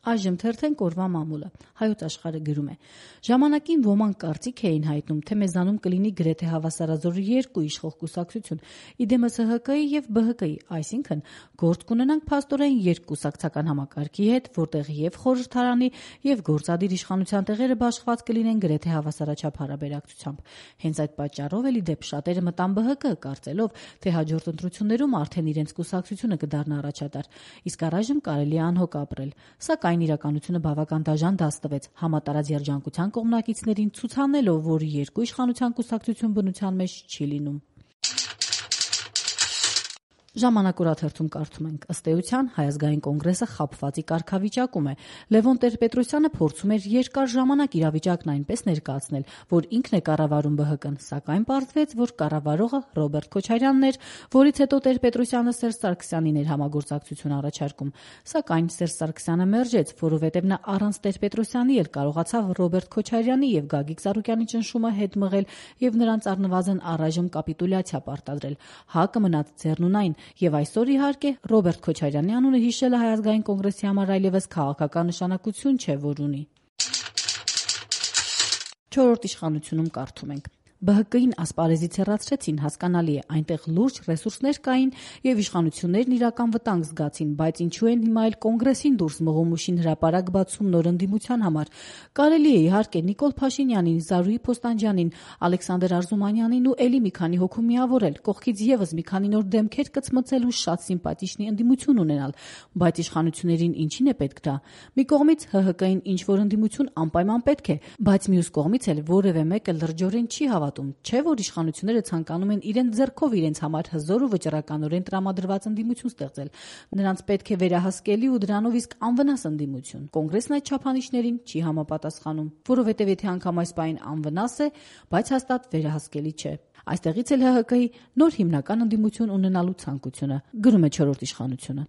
Այժմ թերթենք օրվա մամուլը։ Հայոց աշխարհը գրում է. ժամանակին ոմանք կարծիք էին հայտնում, թե մեզանում կլինի գրեթե հավասարազոր երկու իշխող կուսակցություն՝ իդեմս ՀՀԿ-ի եւ ԲՀԿ-ի, այսինքն գործ կունենանք փաստորեն երկկուսակցական համակարգի հետ, որտեղ եւ խորհրդարանի եւ գործադիր իշխանության տեղերը բաշխված կլինեն գրեթե հավասարաչափ հարաբերակցությամբ։ Հենց այդ պատճառով էլ ի դեպ շատերը մտան ԲՀԿ, կարծելով, թե հաջորդ ընտրություններում արդեն իրենց կուսակցությունը կդառնա առաջատար, իսկ առայժմ կարելի է անհոգ ապրել։ Սակայն իրականությունը բավական դաժան դաս տվեց համատարած երջանկության կողմնակիցներին ցուցանելով, որ երկու իշխանության կուսակցություն բնության մեջ չի լինում։ Ժամանակ օրաթերթում կարդում ենք. ըստ էության Հայ ազգային կոնգրեսը խաբվածի կարգավիճակում է։ Լևոն Տեր-Պետրոսյանը փորձում էր երկար ժամանակ իրավիճակն այնպես ներկայացնել, որ ինքն է կառավարում ԲՀԿ-ն, սակայն պարզվեց, որ կառավարողը Ռոբերտ Քոչարյանն էր, որից հետո Տեր-Պետրոսյանը Սերժ Սարգսյանին էր համագործակցություն առաջարկում։ Սակայն Սերժ Սարգսյանը մերժեց, որովհետև նա առանց Տեր-Պետրոսյանի էլ կարողացավ Ռոբերտ Քոչարյանի եւ Գագիկ Ծառուկյանի ճնշումը հետ մղել եւ նրանց առնվազն առայժմ կապիտուլյացիա պարտադրել։ ՀԱԿ-ը մնաց ձեռնունայն եւ այսօր իհարկե Ռոբերտ Քոչարյանի անունը հիշելը Հայ ազգային կոնգրեսի համար այլևս քաղաքական նշանակություն չէ, որ ունի։ Չորրորդ իշխանությունում կարդում ենք. ԲՀԿ-ին ասպարեզից հեռացրեցին, հասկանալի է, այնտեղ լուրջ ռեսուրսներ կային եւ իշխանություններն իրական վտանգ զգացին, բայց ինչու են հիմա էլ կոնգրեսին դուրս մղում ուշին հրապարակ բացում նոր ընդդիմության համար։ Կարելի է իհարկե Նիկոլ Փաշինյանին, Զարուհի Փոստանջյանին, Ալեքսանդր Արզումանյանին ու էլի մի քանի հոգու միավորել, կողքից եւս մի քանի նոր դեմքեր կծմծել ու շատ սիմպաթիչնի ընդդիմություն ունենալ, բայց իշխանություններին ինչին է պետք դա։ Մի կողմից ՀՀԿ-ին ինչ որ ընդդիմություն անպայման պետք է, բայց մյուս կողմից էլ որևէ մեկը լրջորեն չի հավատում, չէ՞ որ իշխանությունները ցանկանում են իրենց ձեռքով իրենց համար հզոր ու վճռականորեն տրամադրված ընդդիմություն ստեղծել։ Նրանց պետք է վերահսկելի ու դրանով իսկ անվնաս ընդդիմություն։ Կոնգրեսն այդ չափանիշներին չի համապատասխանում, որովհետև եթե անգամ այս պահին անվնաս է, բայց հաստատ վերահսկելի չէ։ Այստեղից էլ ՀՀԿ-ի նոր հիմնական ընդդիմություն ունենալու ցանկությունը, գրում է չորրորդ իշխանությունը։